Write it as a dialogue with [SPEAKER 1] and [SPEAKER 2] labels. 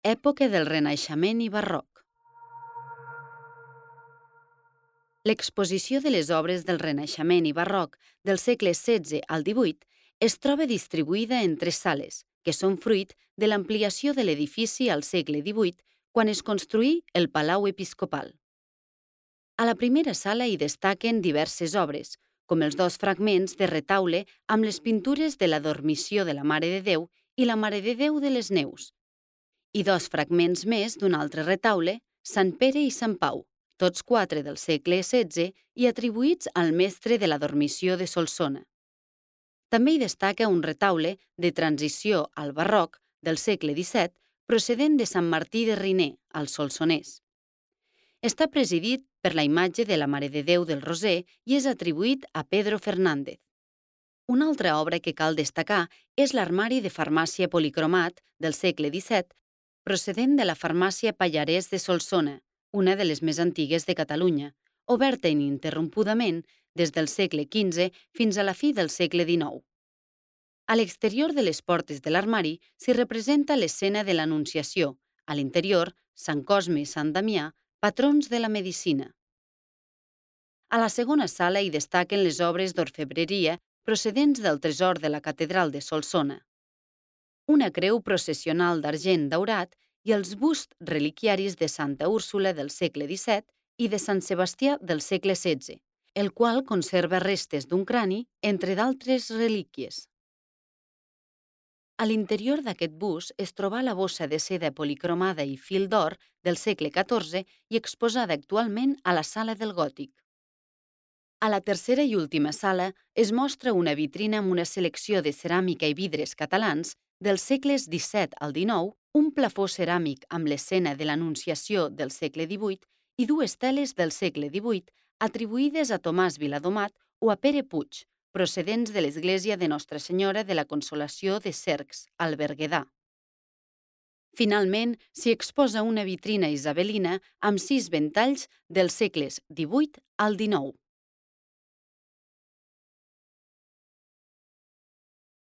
[SPEAKER 1] època del Renaixement i Barroc. L'exposició de les obres del Renaixement i Barroc del segle XVI al XVIII es troba distribuïda en 3 sales, que són fruit de l'ampliació de l'edifici al segle XVIII quan es construí el Palau Episcopal. A la primera sala hi destaquen diverses obres, com els 2 fragments de retaule amb les pintures de la Dormició de la Mare de Déu i la Mare de Déu de les Neus, i 2 fragments més d'un altre retaule, Sant Pere i Sant Pau, tots 4 del segle XVI i atribuïts al mestre de la Dormició de Solsona. També hi destaca un retaule de transició al barroc del segle XVII procedent de Sant Martí de Riner, al Solsonès. Està presidit per la imatge de la Mare de Déu del Roser i és atribuït a Pedro Fernández. Una altra obra que cal destacar és l'armari de farmàcia policromat del segle XVII, procedent de la farmàcia Pallarès de Solsona, una de les més antigues de Catalunya, oberta ininterrompudament des del segle XV fins a la fi del segle XIX. A l'exterior de les portes de l'armari s'hi representa l'escena de l'Anunciació, a l'interior, Sant Cosme i Sant Damià, patrons de la medicina. A la segona sala hi destaquen les obres d'orfebreria procedents del tresor de la catedral de Solsona. Una creu processional d'argent daurat i els busts reliquiaris de Santa Úrsula del segle XVII i de Sant Sebastià del segle XVI, el qual conserva restes d'un crani, entre d'altres relíquies. A l'interior d'aquest bust es troba la bossa de seda policromada i fil d'or del segle XIV i exposada actualment a la Sala del Gòtic. A la tercera i última sala es mostra una vitrina amb una selecció de ceràmica i vidres catalans dels segles XVII al XIX, un plafó ceràmic amb l'escena de l'Anunciació del segle XVIII i 2 teles del segle XVIII atribuïdes a Tomàs Viladomat o a Pere Puig, procedents de l'església de Nostra Senyora de la Consolació de Cercs, al Berguedà. Finalment, s'hi exposa una vitrina isabelina amb 6 ventalls dels segles XVIII al XIX.